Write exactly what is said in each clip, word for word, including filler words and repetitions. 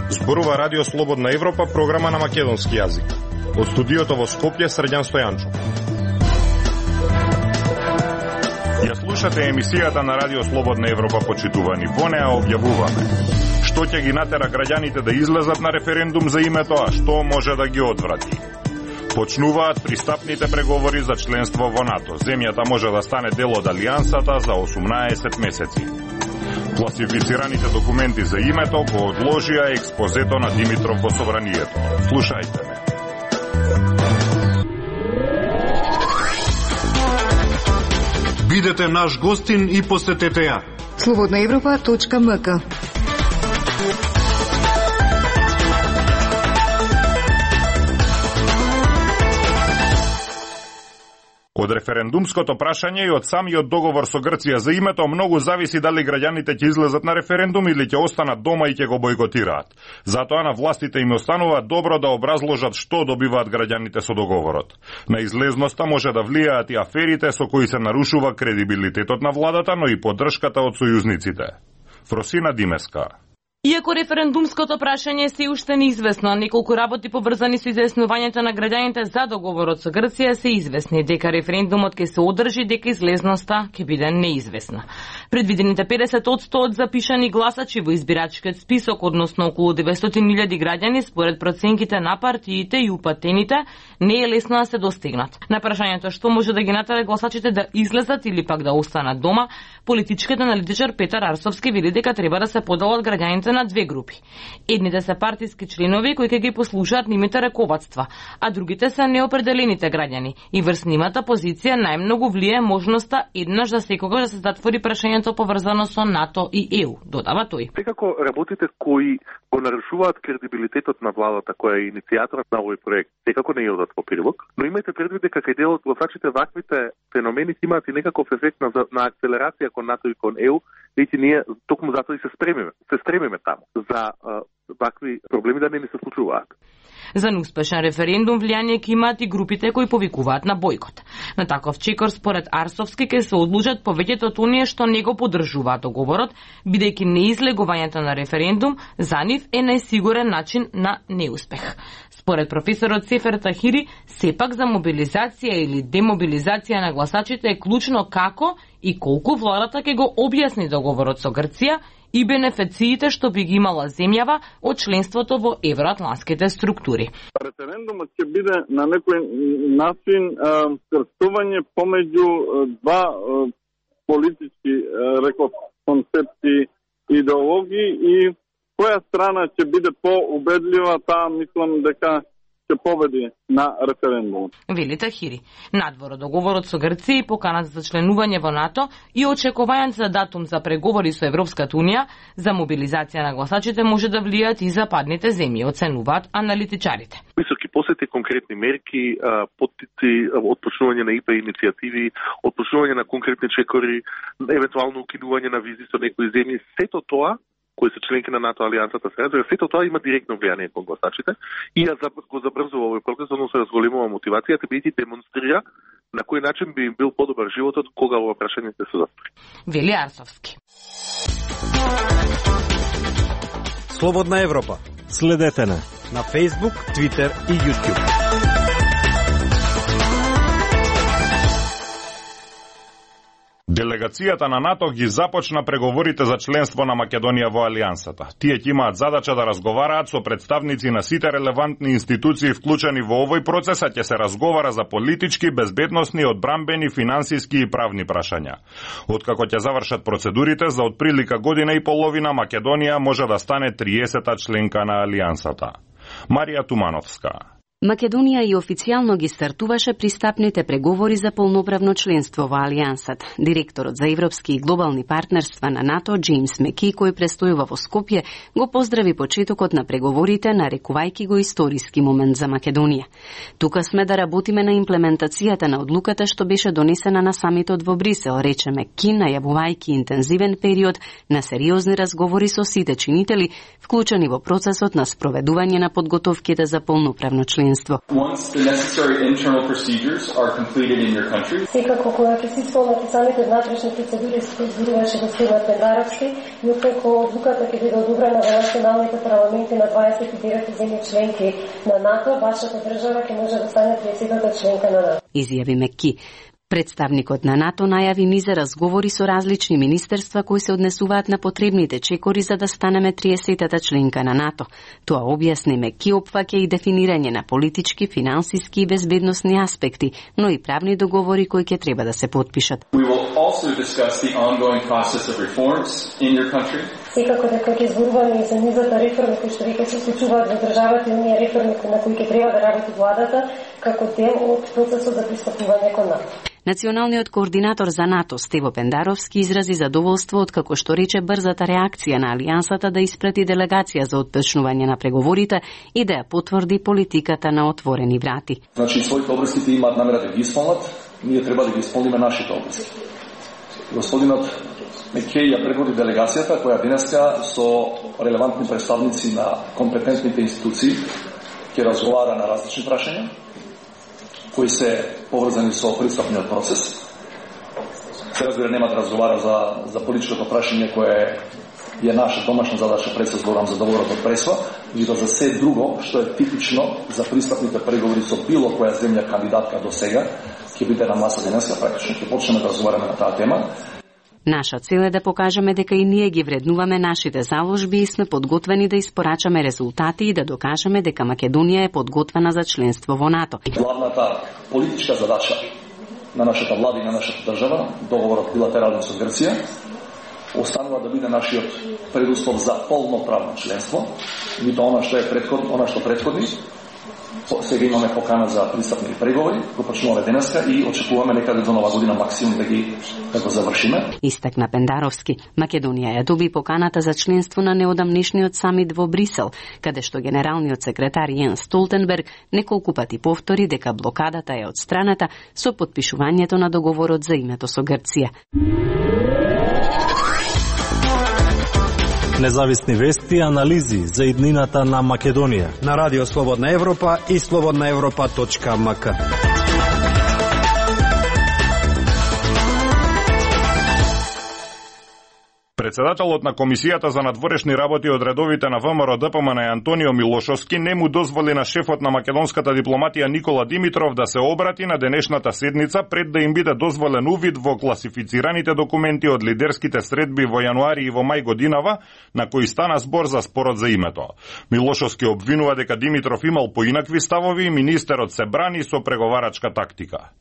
Зборува Радио Слободна Европа, програма на македонски јазик. Од студиото во Скопје, Срđan Стојанчов. Ја слушате емисијата на Радио Слободна Европа, почитувани. Во неа објавуваме што ќе ги натера граѓаните да излезат на референдум за името, а што може да ги одврати. Почнуваат пристапните преговори за членство во НАТО. Земјата може да стане дел од Алијансата за осумнаесет месеци. Класифицираните документи за името го одложија експозето на Димитров во Собранието. Слушајте ме. Бидете наш гостин и посетете ја. слободна европа точка ем ка. Од референдумското прашање и од самиот договор со Грција за името многу зависи дали граѓаните ќе излезат на референдум или ќе останат дома и ќе го бойкотираат. Затоа на властите им останува добро да образложат што добиваат граѓаните со договорот. На излезноста може да влијаат и аферите со кои се нарушува кредибилитетот на владата, но и поддршката од сојузниците. Фросина Димеска. Иако референдумското прашање се уште неизвестно, неколку работи поврзани со изјаснувањето на граѓаните за договорот со Грција се известни, дека референдумот ќе се одржи, дека излезноста ќе биде неизвестна. Предвидените педесет одсто од запишани гласачи во избирачкиот список, односно околу деветстотини илјади граѓани, според проценките на партиите и упатените, не е лесно да се достигнат. На прашањето што може да ги натера гласачите да излезат или пак да останат дома, политичкиот аналитичар Петар Арсовски вели дека треба да се поделат граѓаните на две групи. Едните се партиски членови кои ќе ги послушаат нивните раководства, а другите се неопределените граѓани. И врз нивната позиција најмногу влие можноста еднаш за секогаш да се затвори прашањето поврзано со НАТО и Е У, додава тој. Секако работите кои го нарушуваат кредибилитетот на владата која е иницијаторот на овој проект, секако не одат во прилог, но имајте предвид дека кај дел од гласачите ваквите феномени имаат и некаков ефект на, на акселерација кон НАТО и кон Е У, Веќе ние токму затоа и се стремиме, се стремиме таму за а, вакви проблеми да не ни се случуваат. За неуспешен референдум влијание ќе имаат и групите кои повикуваат на бојкот. На таков чекор според Арсовски ќе се одлужат повеќето од оние што не го поддржуваат договорот, бидејќи неизлегувањето на референдум за нив е најсигурен начин на неуспех. Според професорот Сефер Тахири, сепак за мобилизација или демобилизација на гласачите е клучно како и колку владата ќе го објасни договорот со Грција и бенефициите што би ги имала земјава од членството во евроатлантските структури. Референдумот ќе биде на некој начин крстување помеѓу два политички реков концепции, идеологии и која страна ќе биде поубедлива, таа мислам дека ќе победи на референдум. Вели Тахири. Надвор од договорот со Грција и поканата за членување во НАТО и очекувањето за датум за преговори со Европската унија за мобилизација на гласачите може да влијаат и западните земји, оценуваат аналитичарите. Високи посети, конкретни мерки, поттици, отпочнување на И П иницијативи, отпочнување на конкретни чекори, евентуално укинување на визи со некои земји, сето тоа кои се членки на НАТО алијансата се разбира, сето тоа има директно влијание кон гласачите и ја го забрзува овој процес, односно се разголемува мотивацијата, бидејќи демонстрира на кој начин би им бил подобар животот кога ова прашање се затвори. Вели Арсовски. Слободна Европа. Следете на на Facebook, Twitter и YouTube. Делегацијата на НАТО ги започна преговорите за членство на Македонија во Алијансата. Тие ќе имаат задача да разговараат со представници на сите релевантни институции вклучени во овој процес, а ќе се разговара за политички, безбедносни, одбранбени, финансиски и правни прашања. Откако ќе завршат процедурите, за отприлика година и половина Македонија може да стане триесета членка на Алијансата. Марија Тумановска. Македонија и официјално ги стартуваше пристапните преговори за полноправно членство во Алијансата. Директорот за европски и глобални партнерства на НАТО, Джеймс Меки, кој престојува во Скопје, го поздрави почетокот на преговорите, нарекувајќи го историски момент за Македонија. Тука сме да работиме на имплементацијата на одлуката што беше донесена на самитот во Брисел, рече Меки, најавувајќи интензивен период на сериозни разговори со сите чинители, вклучени во процесот на спроведување на подготовките за полноправно членство членство. Секако кога ќе се исполнат самите внатрешни процедури се изборуваше господин Пендаровски и откако одлуката ќе биде одобрена во националните парламенти на дваесет и девет земји членки на НАТО, вашата држава ќе може да стане триесетата членка на НАТО. Изјави Меки. Представникот на НАТО најави низ разговори со различни министерства кои се однесуваат на потребните чекори за да станеме триесетата членка на НАТО. Тоа објасни Меки опфаќа и дефинирање на политички, финансиски и безбедносни аспекти, но и правни договори кои ќе треба да се потпишат. Секако дека ќе зборуваме и за низата реформи кои што веќе се случуваат во државата и оние реформи на кои ќе треба да работи владата како дел од процесот за пристапување кон НАТО. Националниот координатор за НАТО Стево Пендаровски изрази задоволство од како што рече брзата реакција на алијансата да испрати делегација за отпочнување на преговорите и да ја потврди политиката на отворени врати. Значи своите обврски имаат намера да ги исполнат, ние треба да ги исполниме нашите обврски. Господинот Мекеј ја предводи делегацијата која денеска со релевантни представници на компетентните институции ќе разговара на различни прашања кои се поврзани со пристапниот процес. Се разбира, нема да разговара за, за политичкото прашање кое е наша домашна задача, пред се зборам за договорот од Пресва, и да за се друго што е типично за пристапните преговори со било која земја кандидатка до сега, ќе биде на маса денеска, практично ќе почнеме да разговараме на таа тема. Наша цел е да покажеме дека и ние ги вреднуваме нашите заложби и сме подготвени да испорачаме резултати и да докажеме дека Македонија е подготвена за членство во НАТО. Главната политичка задача на нашата влада и на нашата држава, договорот билатерален со Грција, останува да биде нашиот предуслов за полноправно членство, и тоа она што е претходно, она што претходи. Сега имаме покана за пристапни преговори, го почнуваме денеска и очекуваме некаде до нова година максимум да ги да го завршиме. Истакна Пендаровски, Македонија ја доби поканата за членство на неодамнешниот самит во Брисел, каде што генералниот секретар Јенс Столтенберг неколку пати повтори дека блокадата е одстраната со потпишувањето на договорот за името со Грција. Независни вести и анализи за иднината на Македонија на Радио Слободна Европа и слободна европа точка ем ка. Председателот на Комисијата за надворешни работи од редовите на ВМРО ДПМ на Антонио Милошовски не му дозволи на шефот на македонската дипломатија Никола Димитров да се обрати на денешната седница пред да им биде дозволен увид во класифицираните документи од лидерските средби во јануари и во мај годинава, на кои стана збор за спорот за името. Милошовски обвинува дека Димитров имал поинакви ставови и министерот се брани со преговарачка тактика.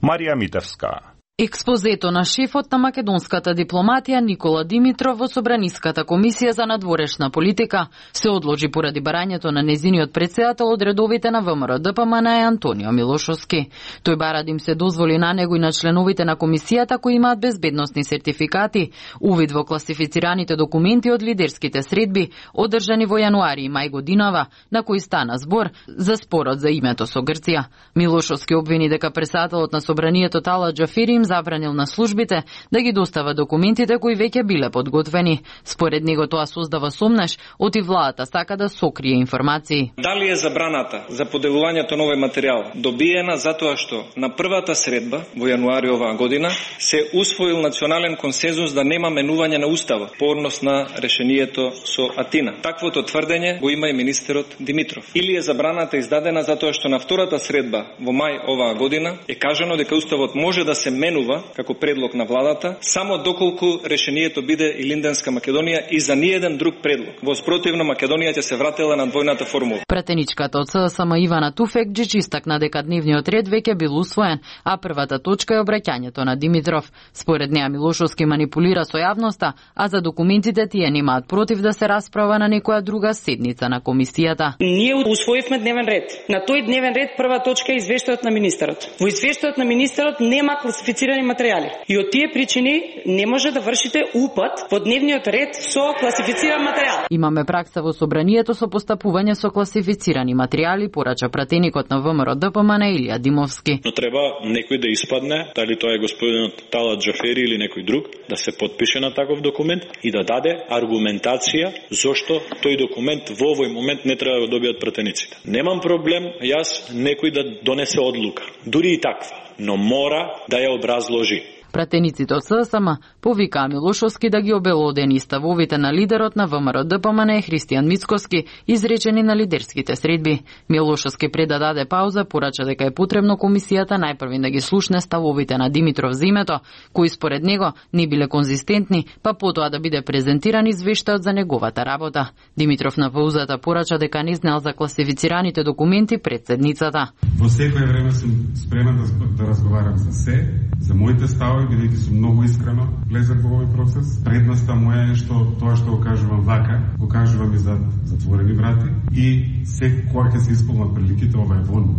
Марија Митевска. Експозето на шефот на македонската дипломатија Никола Димитров во Собраниската комисија за надворешна политика се одложи поради барањето на незиниот председател од редовите на ВМРО ДПМ на Антонио Милошовски. Тој бара да им се дозволи на него и на членовите на комисијата кои имаат безбедносни сертификати, увид во класифицираните документи од лидерските средби, одржани во јануари и мај годинава, на кои стана збор за спорот за името со Грција. Милошовски обвини дека председателот на Собранието Тала Џафери им забранил на службите да ги достава документите кои веќе биле подготвени. Според него тоа создава сомнеш, оти владата сака да сокрие информации. Дали е забраната за поделувањето на овој материјал добиена затоа што на првата средба во јануари оваа година се усвоил национален консензус да нема менување на уставот по однос на решението со Атина. Таквото тврдење го има и министерот Димитров. Или е забраната издадена затоа што на втората средба во мај оваа година е кажано дека уставот може да се менува како предлог на владата, само доколку решението биде Илинденска Македонија и за ниеден друг предлог. Во спротивно Македонија ќе се вратила на двојната формула. Пратеничката од СДСМ Ивана Туфекџич истакна дека дневниот ред веќе бил усвоен, а првата точка е обраќањето на Димитров. Според неа Милошовски манипулира со јавноста, а за документите тие немаат против да се расправа на некоја друга седница на комисијата. Ние усвоивме дневен ред. На тој дневен ред прва точка е извештајот на министерот. Во извештајот на министерот нема класифицирани класифицирани материјали. И од тие причини не може да вршите упад во дневниот ред со класифициран материјал. Имаме пракса во собранието со постапување со класифицирани материјали, порача пратеникот на ВМРО Д П М Н Илија Димовски. Но треба некој да испадне, дали тоа е господинот Талат Џафери или некој друг, да се подпише на таков документ и да даде аргументација зошто тој документ во овој момент не треба да го добијат пратениците. Немам проблем јас некој да донесе одлука, дури и таква, но мора да ја образложи. Пратениците од С С М повикаа Милошовски да ги обелодени ставовите на лидерот на ВМРО Д П М Н Христијан Мицкоски, изречени на лидерските средби. Милошовски пред да даде пауза порача дека е потребно комисијата најпрви да ги слушне ставовите на Димитров за името, кои според него не биле конзистентни, па потоа да биде презентиран извештајот за неговата работа. Димитров на паузата порача дека не знаел за класифицираните документи пред седницата. Во секое време сум спремен да, да разговарам за се, за моите ставови, бидејќи сум многу искрено влезен во овој процес. Предноста моја е што тоа што го кажувам вака, го кажувам и за затворени врати и секоја ќе се исполнат приликите, ова е вон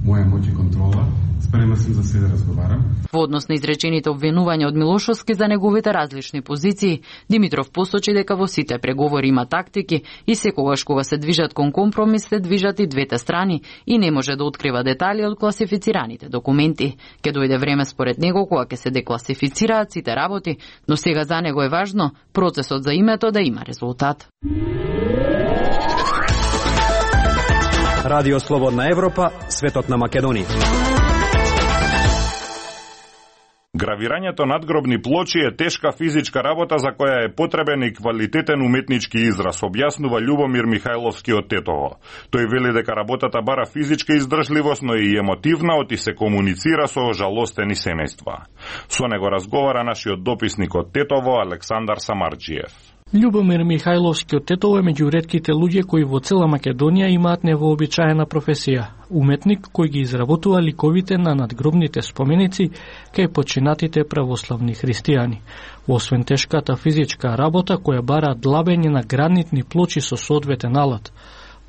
моја моќ и контрола. Спремен сум за се да разговарам. Во однос на изречените обвинувања од Милошовски за неговите различни позиции, Димитров посочи дека во сите преговори има тактики и секогаш кога се движат кон компромис се движат и двете страни и не може да открива детали од класифицираните документи. Ке дојде време според него кога ќе се декласифицираат сите работи, но сега за него е важно процесот за името да има резултат. Радио Слободна Европа, светот на Македонија. Гравирањето надгробни плочи е тешка физичка работа за која е потребен и квалитетен уметнички израз, објаснува Љубомир Михајловски од Тетово. Тој вели дека работата бара физичка издржливост, но и емотивна, оти се комуницира со жалостени семејства. Со него разговара нашиот дописник од Тетово, Александар Самарџиев. Љубомир Михајловски од Тетово е меѓу ретките луѓе кои во цела Македонија имаат невообичаена професија. Уметник кој ги изработува ликовите на надгробните споменици кај починатите православни христијани. Освен тешката физичка работа која бара длабење на гранитни плочи со соодветен алат,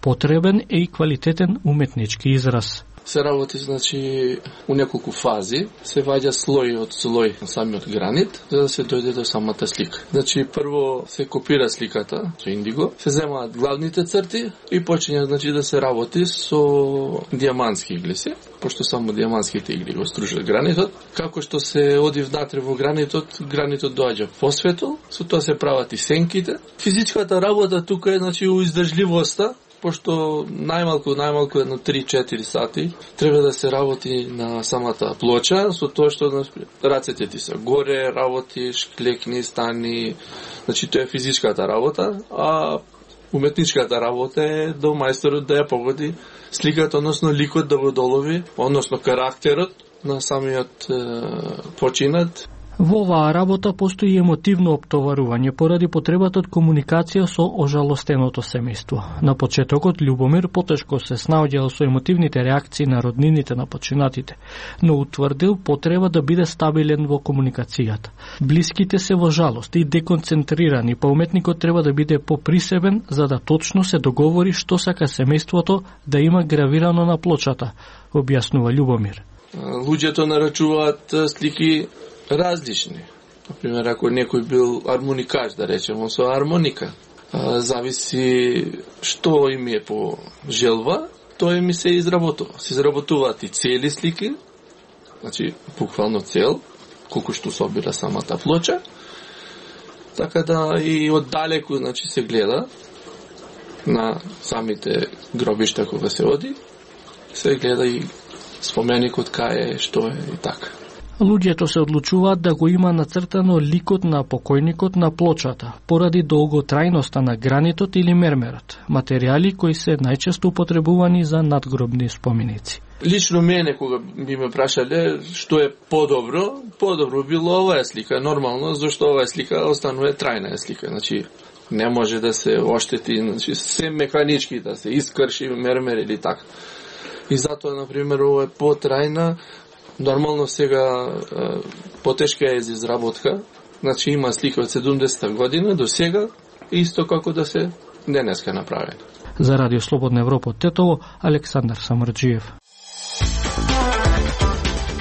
потребен е и квалитетен уметнички израз. Се работи, значи, у неколку фази, се ваѓа слој од слој на самиот гранит, за да се дојде до самата слика. Значи, прво се копира сликата со индиго, се земаат главните црти и почиња, значи, да се работи со дијамантски иглеси, пошто само дијамантските игли го стружат гранитот. Како што се оди внатре во гранитот, гранитот доаѓа посветол, со тоа се прават и сенките. Физичката работа тука е, значи, у издржливоста, пошто најмалку, најмалку едно три-четири сати треба да се работи на самата плоча, со тоа што рацете ти се горе, работиш, клекни, стани, значи тоа е физичката работа, а уметничката работа е до мајсторот да ја погоди сликата, односно ликот да го долови, односно карактерот на самиот е, починат. Во оваа работа постои емотивно оптоварување поради потребата од комуникација со ожалостеното семејство. На почетокот Љубомир потешко се снаоѓал со емотивните реакции на роднините на починатите, но утврдил потреба да биде стабилен во комуникацијата. Блиските се во жалост и деконцентрирани, па уметникот треба да биде поприсебен за да точно се договори што сака семејството да има гравирано на плочата, објаснува Љубомир. Луѓето нарачуваат слики различни. Например, ако некој бил армоникач, да речеме, со армоника, зависи што им е по желба, тоа ми се изработува. Се изработуваат и цели слики, значи буквално цел, колку што собира самата плоча, така да и оддалеку, значи, се гледа на самите гробишта кога се оди, се гледа и споменикот кај е, што е и така. Луѓето се одлучуваат да го има нацртано ликот на покојникот на плочата, поради долготрајноста на гранитот или мермерот, материјали кои се најчесто употребувани за надгробни споменици. Лично мене, кога би ме прашале што е подобро, подобро било оваа слика, нормално, зашто оваа слика останува трајна слика, значи не може да се оштети, значи се механички да се искрши мермер или така. И затоа, например, ова е потрајна. Нормално сега потешка е за изработка, значи има слика од седумдесета година до сега, исто како да се денеска направени. За Радио Слободна Европа од Тетово, Александар Самарџиев.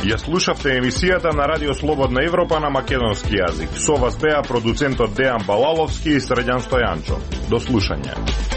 Ја слушавте емисијата на Радио Слободна Европа на македонски јазик. Со вас беа продуцентот Дејан Балаловски и Средјан Стојанчо. До слушање.